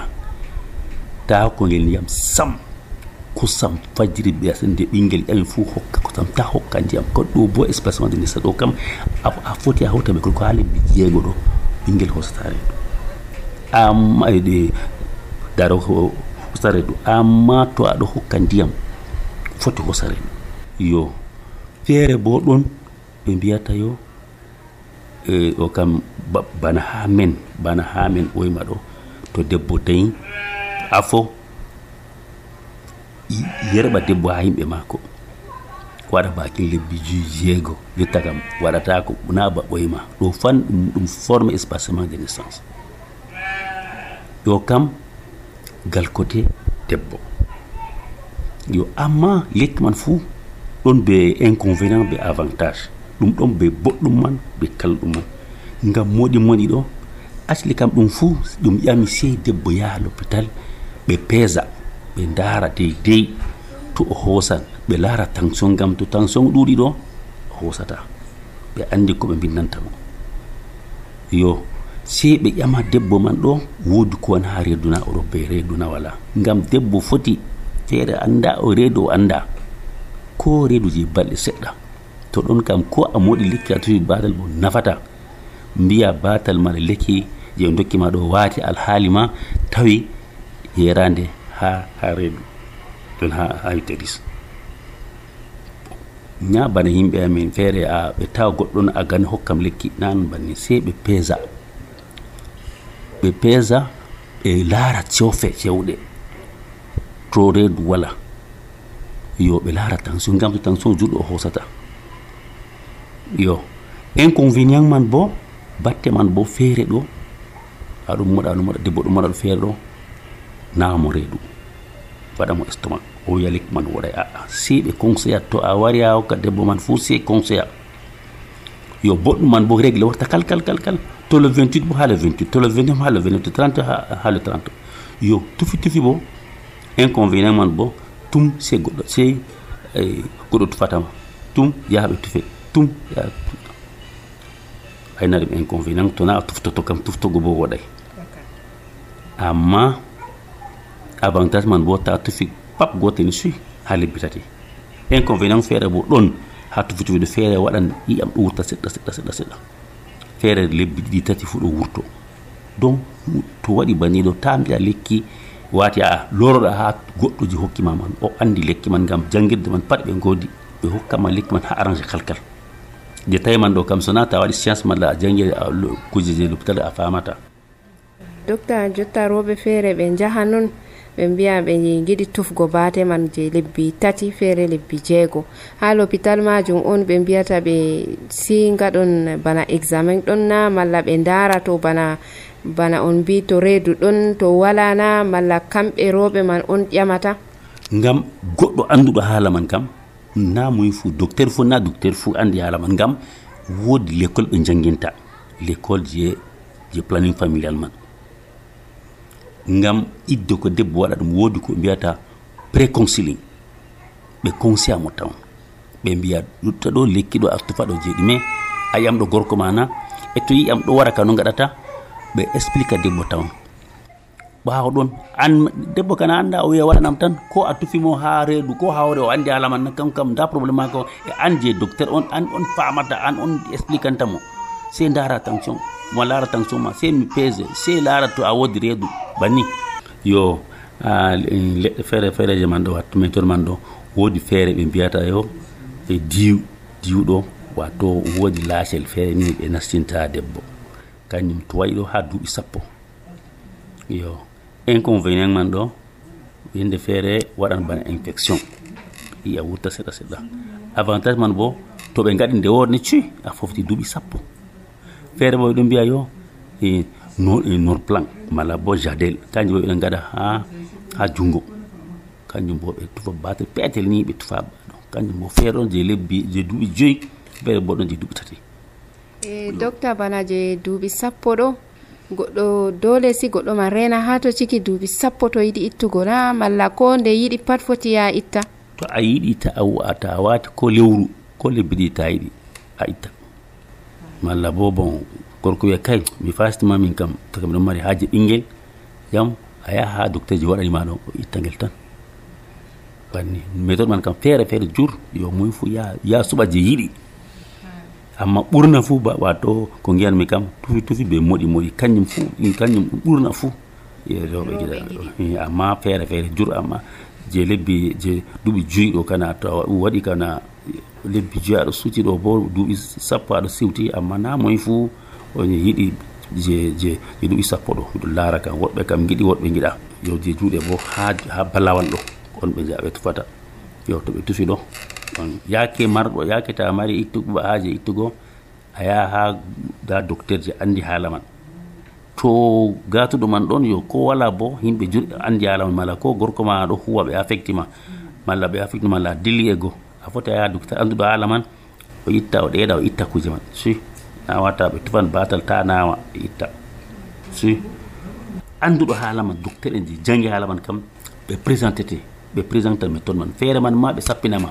ta ko ngel ndiyam sam kosam fajiri ɓe nde ɓingel ƴami fuu hokka kosam ta hokka ndiyam ko ɗo bo espacement de naissance ɗo kam a foti a hawta ɓe ko ha lebbi jeego ɗo ɓingel hosata reedu amma ɗe daro hosa reedu amma to aɗo hokka ndiyam foti hosa reedu yo feere bo ɗon ɓe mbiyata yo e o kam bana ha men bana ha men ɓoyma ɗo to debbo dañi afo yerɓa debbo ha yimɓe maako waɗa bakin lebbi juy jeego jotta kam waɗata ko na ba ɓoyma ɗo fan ɗum ɗum forme espacement de naissance yo kam gal côté debbo yo amma lekki man fuu ɗon be inconvénient be avantage ɗum ɗon be boɗɗum man be kalɗum man ngam moɗi moɗi ɗo asli kam ɗum fuu ɗum ƴami sey debbo yaha l'hôpital ɓe peesa ɓe ndaara deydey to o hoosan ɓe laara tension ngam to tension ɗuuɗi ɗo o hoosata ɓe anndi ko ɓe mbindantamo yo sey ɓe ƴama debbo man ɗo woodi ko won ha reeduna oɗo be reeduna wala ngam debbo foti feere annda o reedu o annda ko reedu je balɗe seɗɗa to ɗon kam ko a moɗi lekki a tufi batal mo nafata mbiya batal ma lekki je dokkima ɗo waati alhaali ma tawi yerande ha ha reedu ɗon ha ha utéris ña bana yimɓe amen feere a ɓe tawa goɗɗon a gani hokkam lekki nan banni sey ɓe peesa ɓe peesa ɓe laara cewfe cewɗe to reedu wala yo ɓe laara tension ngam to tension juɗɗo o hoosata yo inconvénient man bo batte man bo feere ɗo aɗum moɗa ɗum moɗa debbo ɗum moɗa ɗo feere ɗo naamo reedu waɗamo estomac o wiya lekki man woɗay aa si ɓe conseilla to a wari a hokka debbo man fuu si conseilla yo boɗɗum man bo régle warta kal kal kal kal to le vingt-huit bo ha le vingt-huit to le vingt-neuf ha le vingt-neuf to trente ha, ha le trente yo tufi tufi bo inconvénient man bo tum se goɗɗo se eh, goɗɗo tufatama tum yaha ɓe tufe tum yaha ayna ɗum inconvénient to na a tuftoto kam tuftogo bo woɗay amma avantage man bo ta tufi pap gotel ni suy ha lebbi tati inconvénient feere bo ɗon ha tufi tufi feere waɗan iyam ɗo wurta seɗɗa seɗɗa seɗɗa seɗɗa feere lebbi ɗiɗi tati fu ɗo wurto donc to waɗi baniɗo ta mbiya lekki wati a loroɗa ha goɗɗo ji hokkima man o andi lekki man ngam jangirde man pat ɓe godi ɓe hokkama lekki man ha arrange kalkal je tawi man ɗo kam sona ta waɗi science malla a jangi kujeje l'hôpital a famata. Docteur jotta roɓe feere ɓe jaha non ɓe mbiya ɓe giɗi tufgo baate man je lebbi tati feere lebbi jeego ha l'hôpital majum on ɓe mbiyata ɓe si ngaɗon bana examen ɗon na malla ɓe ndara to bana bana on mbi to reedu ɗon to wala na malla kamɓe roɓe man on ƴamata ngam goɗɗo anduɗo haala man kam na muy fu docteur fu na docteur fu andi haala man ngam woodi l'école ɓe janginta l'école je je planning familial man ngam idde ko debbo waɗa ɗum woodi ko mbiyata préconciling ɓe conseil mo taw ɓe mbiya ɗutta ɗo lekki ɗo a tufa ɗo jeeɗi mais a yiyam ɗo gorko mana e to yiyam ɗo wara ka no gaɗata ɓe explique debbo taw ɓaawo ɗon an debbo kana anda o wiya waɗanam tan ko a tufimo ha reedu ko hawre o andi haala man kam kam da probléme mako e an je docteur on an on famata an on expliquantamo se ndara tension mo laara tension ma se mi pese se laara to a wodi reedu banni yo leɗɗe feere feereje man ɗo wattu men toon man ɗo woodi feere ɓe mbiyata yo e diw diwɗo wato woodi laacel feere ni ɓe nastinta debbo kañum to wayi ɗo ha duuɓi sappo yo inconvénient man ɗo yende feere waɗan bana infection iya wurta seɗɗa seɗɗa avantage man bo to ɓe gaɗi nde worde cuy a fofti duuɓi sappo feere bo ɗum mbiya yo e no e nor plan mala bo jadel kanjum bo ɓeɗen gaɗa ha ha jungo kanjum bo ɓe tufa batel peetel ni ɓe tufa ɗo kanjum bo feere ɗon je lebbi je duuɓi joyi feere bo ɗon je duuɓi tati e docteur bana je duuɓi sappo ɗo goɗɗo dole si goɗɗo man rena ha to ciki duuɓi sappo to yiɗi ittugo na malla ko nde yiɗi pat foti ya itta to a yiɗi ta a wata a wati ko lewru ko lebbi ɗi ta yiɗi a itta malla bo bon gorko wiya kay mi fastima min kam to kam ɗon mari haaji ɓinguel jam a yaha ha docteur ji waɗanima ɗo o itta ngel tan banni méthode man kam feere feere jur yo muy fu ya ya suɓa je yiɗi amma ɓurna fuu ba wato ko giyanmi kam tufi tufi ɓe moɗi moɗi kañum fuu kañum ɗum ɓurna fuu rewɓe giɗa amma feere feere jur amma je lebbi je duuɓi joyi ɗo kana to waɗi kana lebbi joyi aɗa suuti ɗo bo duuɓi sappo aɗa siwti amma na moye fuu on yiɗi je je je duuɓi sappo ɗo miɗo laara kam woɓɓe kam giɗi woɓɓe giɗa yo je juuɗe bo ha ha balawal ɗo on ɓe jaɓe tufata yo to ɓe tufi ɗo on yaake marɗo yaake ta mari ittugo haaje ittugo a yaha ha da docteur je andi haala man to gatuɗo man ɗon yo ko wala bo yimɓe juɗɗe andi haala man mala ko gorko ma ɗo huwa ɓe affecti ma malla ɓe affecti malla dilli e go a foti a yaha docteur anduɗo haala man o itta o ɗeeɗa o itta kuje man si na wata ɓe tufan batal ta nawa ɓe itta si anduɗo haala man docteur en je jangi haala man kam ɓe présenté te ɓe présenté méthode man feere man ma ɓe sappinama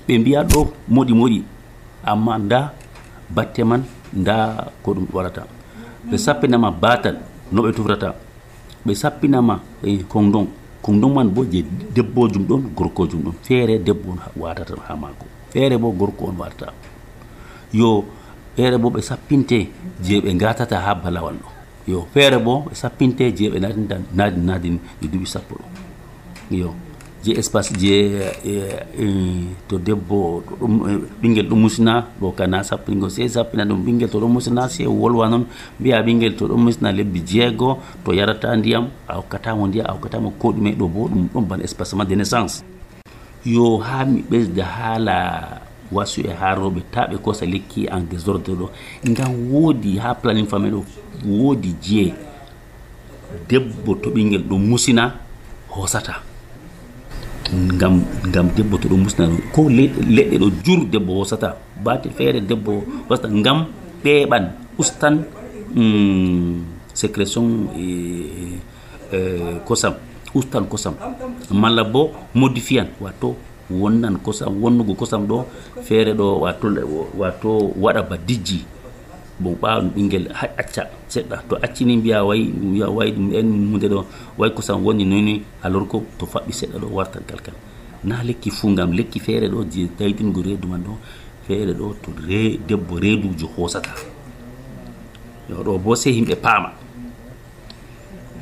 ɓe mbiya ɗo moɗi moɗi amma nda batte man nda ko ɗum waɗata ɓe sappinama batal no ɓe tufrata ɓe sappinama e kondon kondon man bo je debbojum ɗon gorkojum ɗon feere debbo on watata ha mako feere bo gorko on watata yo feere bo ɓe sappinte je ɓe gatata ha balawal ɗo yo feere bo ɓe sappinte je ɓe nadinta nadi nadin e duuɓi sappo ɗo yo je espace je to debbo ɗum ɓinguel ɗum musina ɗo kana sappingo se sappina ɗum ɓinguel to ɗum musina se wolwa noon mbiya ɓinguel to ɗum musina lebbi jeego to yarata ndiyam a hokkatamo ndiyam a hokkatamo ko ɗume ɗo bo ɗum ɗon ban espacement de naissance yo ha mi ɓesda haala wasu e ha rewɓe ta ɓe kosa lekki en désordre ɗo ngam woodi ha planning famille ɗo woodi je debbo to ɓinguel ɗum musina hosata ngam ngam debbo to ɗum musina ko leɗɗe ɗo jur debbo hosata baate feere debbo hosata ngam ɓeeɓan ustan mm, sécrétion e, e, kosam ustan kosam malla bo modifian wato wonnan kosam wonnugo kosam ɗo feere ɗo wato wato waɗa ba dijji bon ɓaawɗum ɓinngel hay acca seɗɗa to accini mbiya way mbiya way ɗum en hunde ɗo way ko sam woni noni alors que to faɓɓi seɗɗa ɗo wartan kalkal na lekki fuu ngam lekki feere ɗo je daytingo reedu man ɗo feere ɗo to re debbo reedujo hoosata yo ɗo bo sey yimɓe paama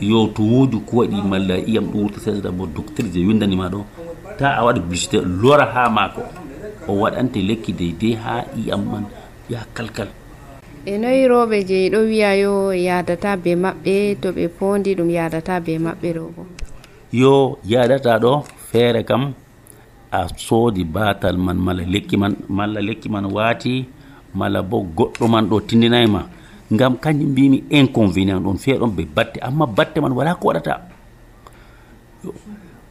yo to woodi ko waɗi malla iyam ɗo wurta seeɗa bo docteur je windanima ɗo ta a waɗa publicité lora ha maako o waɗante lekki deydey ha iyam man ya kalkal. E noyi rooɓe je ɗo wiya yo yadata be maɓɓe to ɓe pondi ɗum yadata be maɓɓe ɗo bo? Yo yadata ɗo feere kam a soodi batal man mala lekki man malla lekki man waati mala bo goɗɗo man ɗo tindinayma ngam kañum mbimi inconvénient ɗon feeɗon ɓe batte amma batte man wala ko waɗata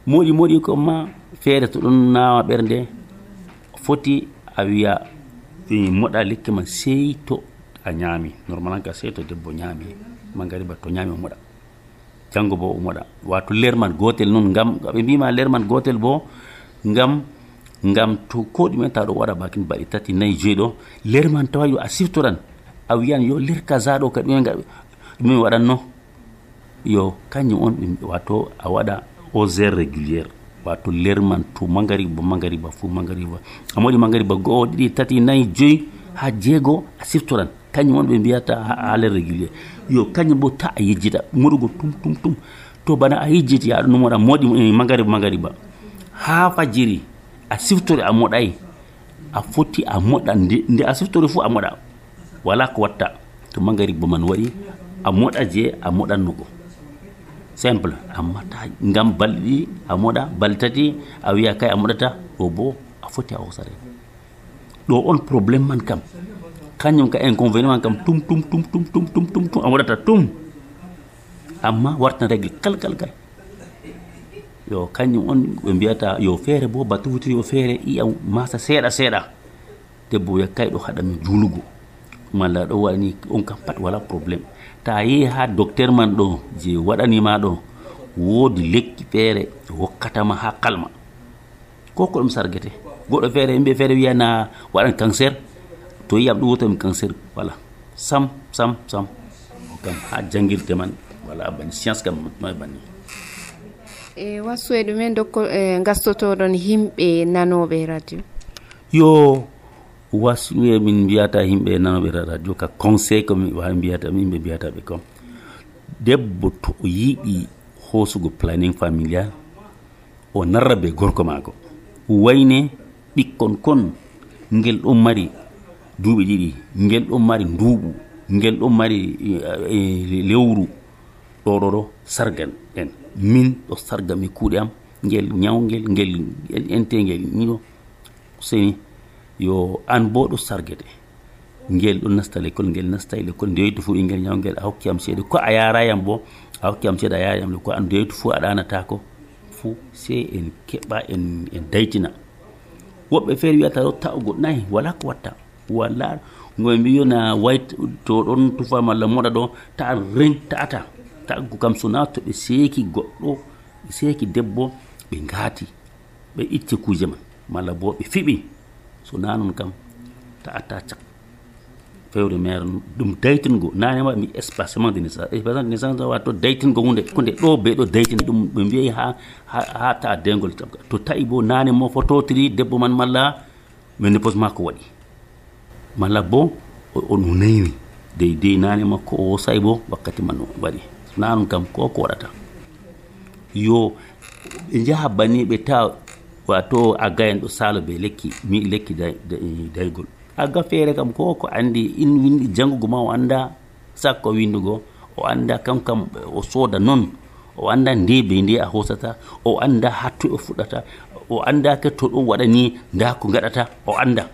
moɗi moɗi ko ma feere to ɗon nawa ɓernde foti a wiya moɗa lekki man sey to a ñaami normalement ka sey to debbo ñaami mangariba to ñaami o moɗa janngo bo o moɗa wato ler man gotel noon ngam ɓe mbima ler man gotel bo ngam ngam to ko ɗumen ta ɗo waɗa bakin baɗi tati nayyi joyi ɗo ler man tawa yo a siftoran a wiyan yo ler kaza ɗo ka ɗumen ɗumen waɗanno yo kañum on wato a waɗa aux heures réguliére wato ler man to mangariba mangariba fuu mangariba a moɗi mangariba go'o ɗiɗi tati nayyi joyi ha jeego a siftoran kañum on ɓe mbiyata ha ler réguliére yo kañum bo ta a yejjita moɗugo tum tum tum to bana a yejjiti aɗa no moɗa moɗi mangariba mangariba ha fajiri a siftore a moɗay a foti a moɗa nde a siftore fuu a moɗa wala ko watta to mangariba man waɗi a moɗa je a moɗannugo simple amma ta ngam balɗe ɗiɗi a moɗa balɗe tati a wiya kay a moɗata ɗo bo a foti a hosare ɗo on probléme man kam kañum ka inconvénient man kam tum tum tum tum tum tum tum tum a waɗata tum amma wartan règle kal kal kal yo kañum on ɓe mbiyata yo feere bo batte wutiri yo feere iya masa seeɗa seeɗa debbo yakkay ɗo haɗami juulugo malla ɗo waɗani on kam pat wala probléme ta yehi ha docteur man ɗo je waɗanima ɗo woodi lekki feere hokkatama ha kalma ko ko ɗum sargete goɗɗo feere yimɓe feere wiyana waɗan cancer to yiyam ɗum wotami cancer voilà sam sam sam o kam ha jangirde man voilà bani science kam noy banni e wasu e ɗumen dokko e gastotoɗon yimɓe nanoɓe radio yo wasu e min mbiyata yimɓe nanoɓe radio ka conseil ko mi wawi mbiyata yimɓe mbiyata ɓe kom debbo to o yiiɗi hoosugo planning familial o narra be gorko maako wayne ɓikkon kon ngel ɗon mari duuɓi ɗiɗi ngel ɗon mari nduuɓu ngel ɗon mari lewru ɗo ɗo ɗo sargan en min ɗo sarga mi kuuɗe am ngel ñawngel ngel entengel niɗo seni yo an bo ɗo sargete ngel ɗo nasta l'école ngel nasta l'école ndeyoytu fu ɓingel ñawngel a hokki am seeɗa ko a yarayam bo a hokki am seeɗa a yarayam ko an ndeyoytu fu a ɗanatako fu sey en keɓa en en daytina woɓɓe feere wiyata ɗo ta'ugo nayi wala ko watta wala ngoɓe mbi yona wayt to ɗon tufa malla moɗa ɗo ta ren ta'ata ta'go kam sona to ɓe seeki goɗɗo ɓe seeki debbo ɓe ngaati ɓe itti kuje man malla bo ɓe fiɓi sona noon kam ta'ata cak fewre mere ɗum daytingo nanema mi espacement de naissance espacement de naissance wato daytingo hunde hunde ɗo be ɗo daytin ɗum ɓe mbiyi ha ha ta dengol to tawi bo nane mo fototiri debbo man malla ménopause makko waɗi malla bo on naywi dey dey nane makko o say bo wakkati man waɗi nanum kam ko ko waɗata yo ɓe jaha banni ɓe ta wato agga en ɗo salo be lekki mi lekki daygol agga feere kam ko ko andi in windi jangugo ma o anda sakko windugo o anda kam kam o sooda non o anda nde be nde a hosata o anda hatto o fuɗata o anda ke to ɗum waɗa ni nda ko gaɗata o anda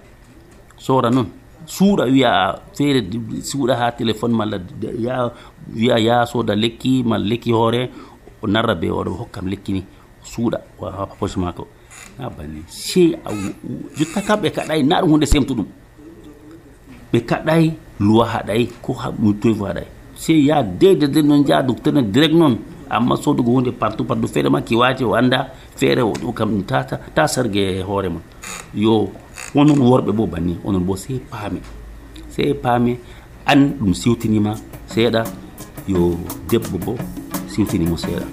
sora non suuɗa wiya feere suuɗa ha téléphone malla ya wiya ya sooda lekki malla lekki hoore o narra be oɗo hokkam lekki ni suuɗa ha poche mako na banni sey jotta kam ɓe kaɗay na ɗum hunde semtuɗum ɓe kaɗay loi haɗay ko toy fo haɗay sey ya dede de noon jaa docteur ne direct noon amma sodugo hunde partout partout feere ma ki waati o anda feere o kam tata ta sargue hoore mon yo onon worɓe bo banni onon bo sey paami sey paami an ɗum siwtinima seeɗa yo debbo bo siwtinimo seeɗa.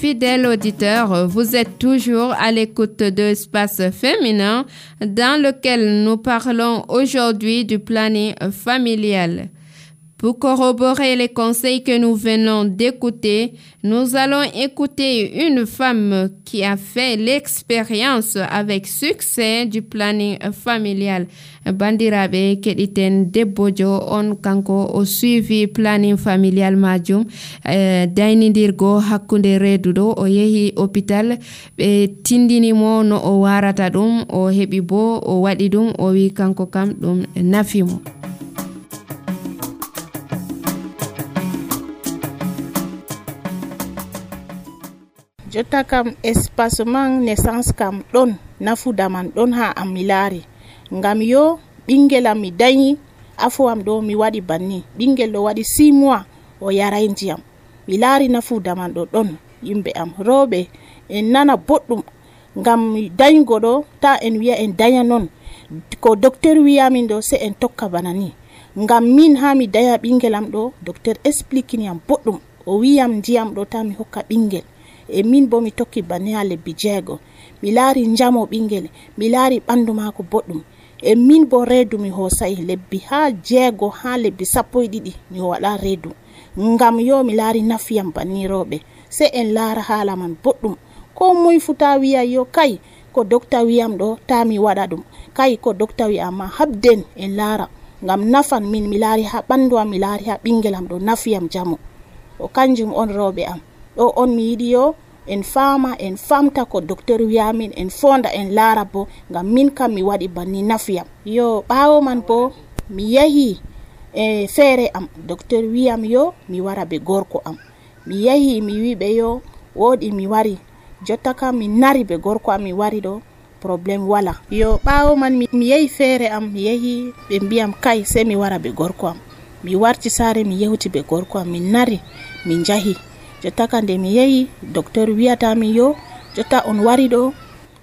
Fidèles auditeurs, vous êtes toujours à l'écoute de Espace Féminin dans lequel nous parlons aujourd'hui du planning familial. Pour corroborer les conseils que nous venons d'écouter, nous allons écouter une femme qui a fait l'expérience avec succès du planning familial. Bandirabe kediten debbojo on kanko o suivi planning familial majum eh, daynidirgo hakkunde redudo o yehi hôpital be tindini mo no o warata dum o hebi bo o wadi dum o wi kanko kam dum nafimo. Jotta kam espacement naissance kam ɗon nafuda man ɗon ha am mi laari ngam yo ɓingel am mi dañi afo am ɗo mi waɗi banni ɓingel ɗo waɗi six mois o yaray ndiyam mi laari nafuda man ɗo ɗon yimɓe am rooɓe en nana boɗɗum ngam dañgo ɗo ta en wiya en daña non ko docteur wiyamin ɗo se en tokka bana ni ngam min ha mi daña ɓingel am ɗo docteur expliquini am boɗɗum o wiyam ndiyam ɗo ta mi hokka ɓingel e min bo mi tokki banni ha lebbi jeego mi laari njamo ɓingel mi laari ɓandu maako boɗɗum e min bo reedu mi hosay lebbi ha jeego ha lebbi sappo e ɗiɗi mi waɗa reedu ngam yo mi laari nafiyam banni rooɓe se en laara haala man boɗɗum ko moy futa wiya yo kay ko docteur wiyam ɗo ta mi waɗa ɗum kay ko docteur wi'a ma habden en laara ngam nafan min mi laari ha ɓandu am mi laari ha ɓingel am ɗo nafiyam jamo o kanjum on rooɓe am ɗo on mi yiɗi yo en fama en famta ko docteur wiyamin en fonda en laara bo ngam min kam mi waɗi banni nafiyam yo ɓaawo man bo mi yahi e feere am docteur wiyam yo mi wara be gorko am mi yahi mi wiɓe yo woɗi mi wari jotta kam mi nari be gorko am mi wari ɗo probléme wala yo ɓaawo man mi, mi yahi feere am mi yahi ɓe mbiyam kay se mi wara be gorko am mi warti saare mi yewti be gorko am min nari min jahi jotta kande mi yehi docteur wiyata mi yo jotta on wari ɗo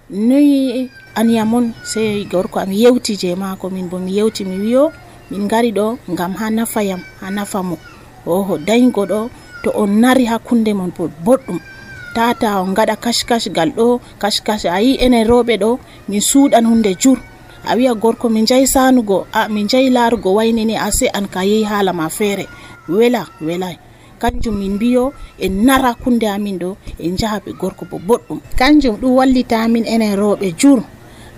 noyi aniyamon se gorko am yewti je maako min bo mi yewti mi wiyo min ngari ɗo ngam ha nafayam ha nafamo oho dañgo ɗo to on nari hakkunde mon bo boɗɗum tata on gaɗa kashkash gal ɗo kashkash ayi enen rooɓe ɗo min suuɗan hunde jur a wiya gorko min jayi sanugo a min jayi laarugo waynini a se an ka yehi haala ma feere wela welay kanjum min biyo en nara kunde amin ɗo en jaha ɓe gorko bo boɗɗum kanjum ɗum wallita amin enen rooɓe jur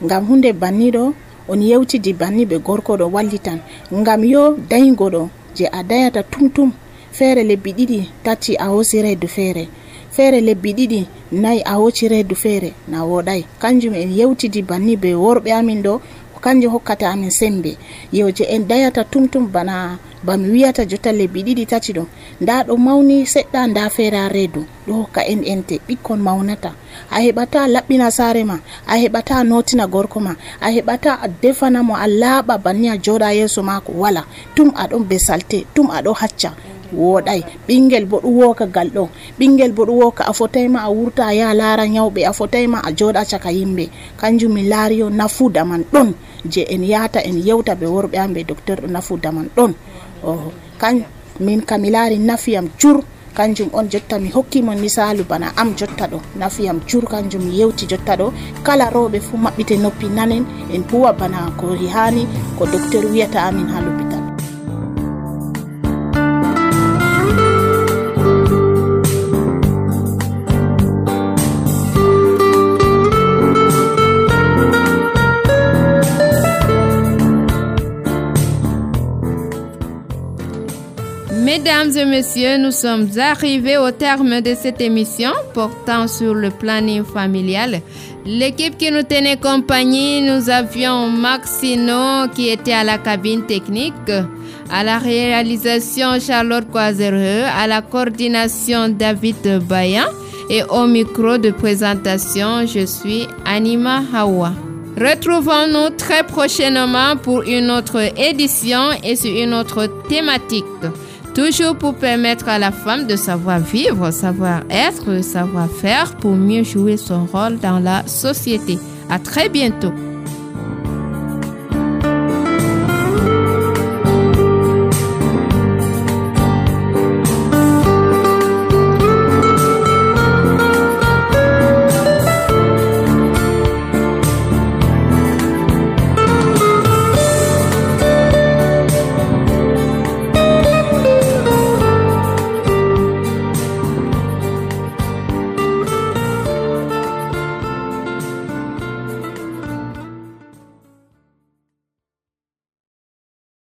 ngam hunde banni ɗo on yewtidi banni ɓe gorko ɗo wallitan ngam yo dañgo ɗo je a dañata tumtum feere lebbi ɗiɗi tati a hosi reedu feere feere lebbi ɗiɗi nayi a hoci reedu feere na woɗay kanjum en yewtidi banni ɓe worɓe amin ɗo kanjum hokkata amin sembe yo je en dañata tumtum bana bami wiyata jotta lebbi ɗiɗi tati ɗo nda ɗo mawni seɗɗa nda feere ha reedu ɗo hokka en ente ɓikkon mawnata a heɓata laɓɓina saare ma a heɓata notina gorko ma a heɓata a defana mo a laaɓa banni a jooɗa yeeso maako wala tum aɗon be salte tum aɗo hacca woɗay ɓingel bo ɗum woka gal ɗo ɓingel bo ɗum woka a fotayma a wurta a yaha laara nyawɓe a fotayma a jooɗa caka yimɓe kanjum min laari yo nafuda man ɗon je en yahata en yewta ɓe worɓe am ɓe docteur ɗo nafuda man ɗon oho kan min kam mi laari nafiyam jur kanjum on jotta mi hokkimon misalu bana am jotta ɗo nafiyam jur kanjum mi yewti jotta ɗo kala rooɓe fu maɓɓite noppi nanen en huwa bana ko hani ko docteur wiyata amin ha l'hôpital. Mesdames et messieurs, nous sommes arrivés au terme de cette émission portant sur le planning familial. L'équipe qui nous tenait compagnie, nous avions Maxino qui était à la cabine technique, à la réalisation Charlotte Coisereux, à la coordination David Bayan et au micro de présentation, je suis Anima Hawa. Retrouvons-nous très prochainement pour une autre édition et sur une autre thématique. Toujours pour permettre à la femme de savoir vivre, savoir être, savoir faire pour mieux jouer son rôle dans la société. À très bientôt.